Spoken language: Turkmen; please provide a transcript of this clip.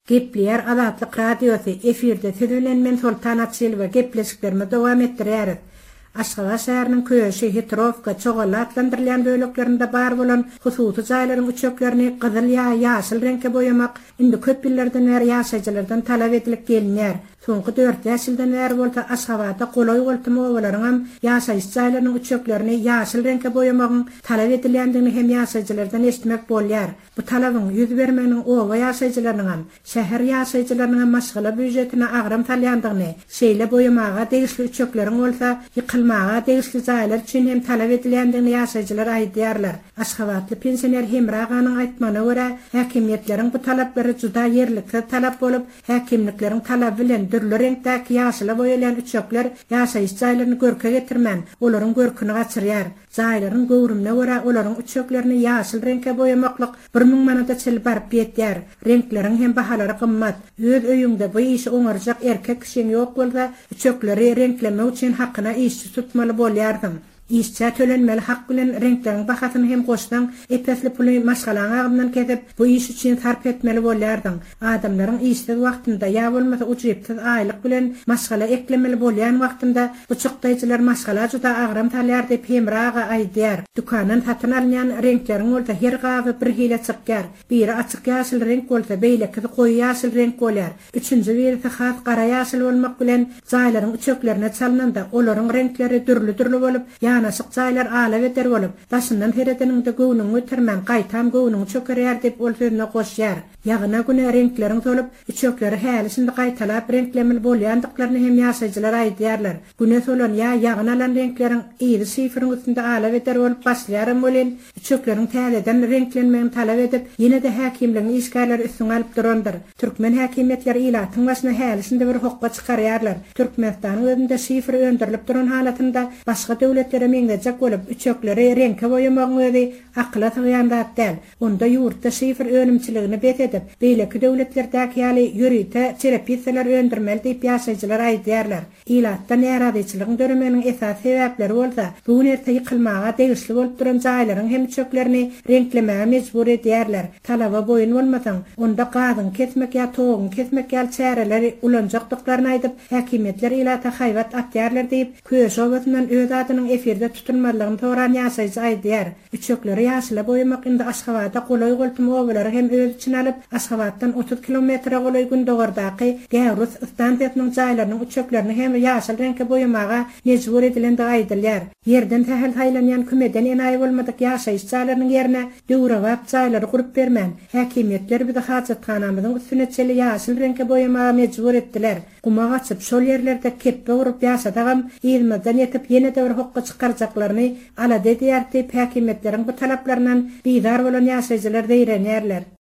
Gepleýär Azatlyk Radiosy, efirde siz bilen men Soltan Açylowa gepleşiklerimizi dowam etdirýäris. Aşgabat şäheriniň Köşi, Hitrowka, Çoganly atlandyrylýan böleklerinde bar bolan hususy jaýlaryň üçeklerini gyzyl ýa ýaşyl reňke boýamak indi köp ýyllardan bäri ýaşaýjylardan talap edilip gelinýär. Soňky dört-bäş ýyldan bäri bolsa Aşgabada golaý-goltum obalaryňam ýaşaýyş jaýlarynyň üçeklerini ýaşyl reňke boýamagyň talap edilýändigini hem ýaşaýjylardan eşitmek bolýar. Bu talabyň ýüz bermeginiň oba ýaşaýjylarynyňam, şäher ýaşaýjylarynyňam maşgala býujetine agram salýandygyny, şeýle boýamaga degişli üçekleriň bolsa ýykylmaga degişli jaýlar üçin hem talap edilýändigini ýaşaýjylar aýdýarlar. Aşgabatly pensioner Hemra aganyň aýtmagyna görä, häkimiýetleriň bu talaplary juda ýerliksiz talap bolup, häkimlikleriň talaby bilen dürli reňkdäki ýaşyla boýalýan üçekler ýaşaýyş jaýlaryny görke getirmän, olaryň görküni gaçyrýar. Jaýlaryň göwrümine görä olaryň üçeklerini ýaşyl reňke boýamaklyk 1000 manada çenli baryp ýetýär. Reňkleriň hem bahalary gymmat. Öz öýüňde bu işi oňarjak erkek kişiň ýok bolsa, üçekleri reňklemek üçin hakyna işçi tutmaly bolýarsyň. Işçä tölenmeli hak bilen reňkleriň bahasyny hem goşsaň, ep-esli puly maşgalaň agzyndan kesip, bu iş üçin sarp etmeli bolýarsyň. Adamlaryň işsiz wagtynda ýa bolmasa ujypsyz aýlyk bilen maşgala eklemeli bolýan wagtynda bu çykdaýjylar maşgala juda agram salýar diýip Hemra aga aýdýar. Dükandan satyn alynýan reňkleriň bolsa her gaby bir hile çykýar. Biri açyk ýaşyl reňk bolsa, beýlekisi goýy ýaşyl reňk bolýar. Üçünji birisi has gara ýaşyl bolmak bilen jaýlaryň üçeklerine çalnanda olaryň reňkleri dürli-dürli bolup, ýanaşyk jaýlar ala-beder bolup, daşyndan seredeniňde göwnüňi götermän, gaýtam göwnüňi çökerýär diýip ol sözüne goşýar. Ýagyna güne reňkleriň solup, üçekleri häli-şindi gaýtalap reňklemeli bolýandyklaryny hem ýaşaýjylar aýdýarlar. Güne solan ýa ýagyn alan reňkleriň yzy şiferiň üstünde ala-beder bolup başlaýaram welin, üçekleriň täzeden reňklenmegini talap edip, ýene-de häkimligiň işgärleri üstüňi alyp durandyr. Türkmen häkimiýetleri ilatyň başyna häli-şindi bir hokga çykarýarlar. Türkmenistanyň özünde şifer öndürilip duran halatynda başga döwletlere meňzejek bolup, üçekleri reňke boýamagyň özi akyla sygýan zat däl. Onda ýurtda şifer önümçiligini bes edip, beýleki döwletlerdäki ýaly ýörite çerepissalar öndürmeli diýip ýaşaýjylar aýdýarlar. Ilatda närazyçylygyň döremeginiň esasy sebäpleri bolsa, bu gün-erte ýykylmaga degişli bolup duran jaýlaryň hem üçeklerini reňklemäge mejbur edýärler. Talaba boýun bolmasaň, onda gazyňy kesmek ýa toguňy kesmek ýaly çäreleri ulanjakdyklaryny aýdyp, häkimiýetler ilata haýbat atýarlar diýip, Köşi obasyndan öz adynyň efirde tutulmazlygyny soran ýaşaýjy aýdýar. Üçekleri ýaşyla boýamak indi Aşgabada golaý-goltum obalary hem öz içine alyp, Aşgabatdan 30 kilometre golaý gündogardaky Gäwrus stansiýasynyň jaýlarynyň üçeklerini hem ýaşyl reňke boýamaga mejbur edilendigi aýdylýar. Ýerden sähel saýlanýan kümeden enaýy bolmadyk ýaşaýyş jaýlarynyň ýerine döwrebap jaýlary gurup bermän, häkimiýetler bizi hajathanamyzyň üstüne çenli ýaşyl reňke boýamaga mejbur etdiler. Guma gaçyp, şol ýerlerde kepbe urup ýaşasagam, yzymyzdan ýetip, ýene-de bir hokga çykarjaklaryny alada edýäris diýip, häkimiýetleriň bu talaplaryndan bizar bolan ýaşaýjylar zeýrenýärler.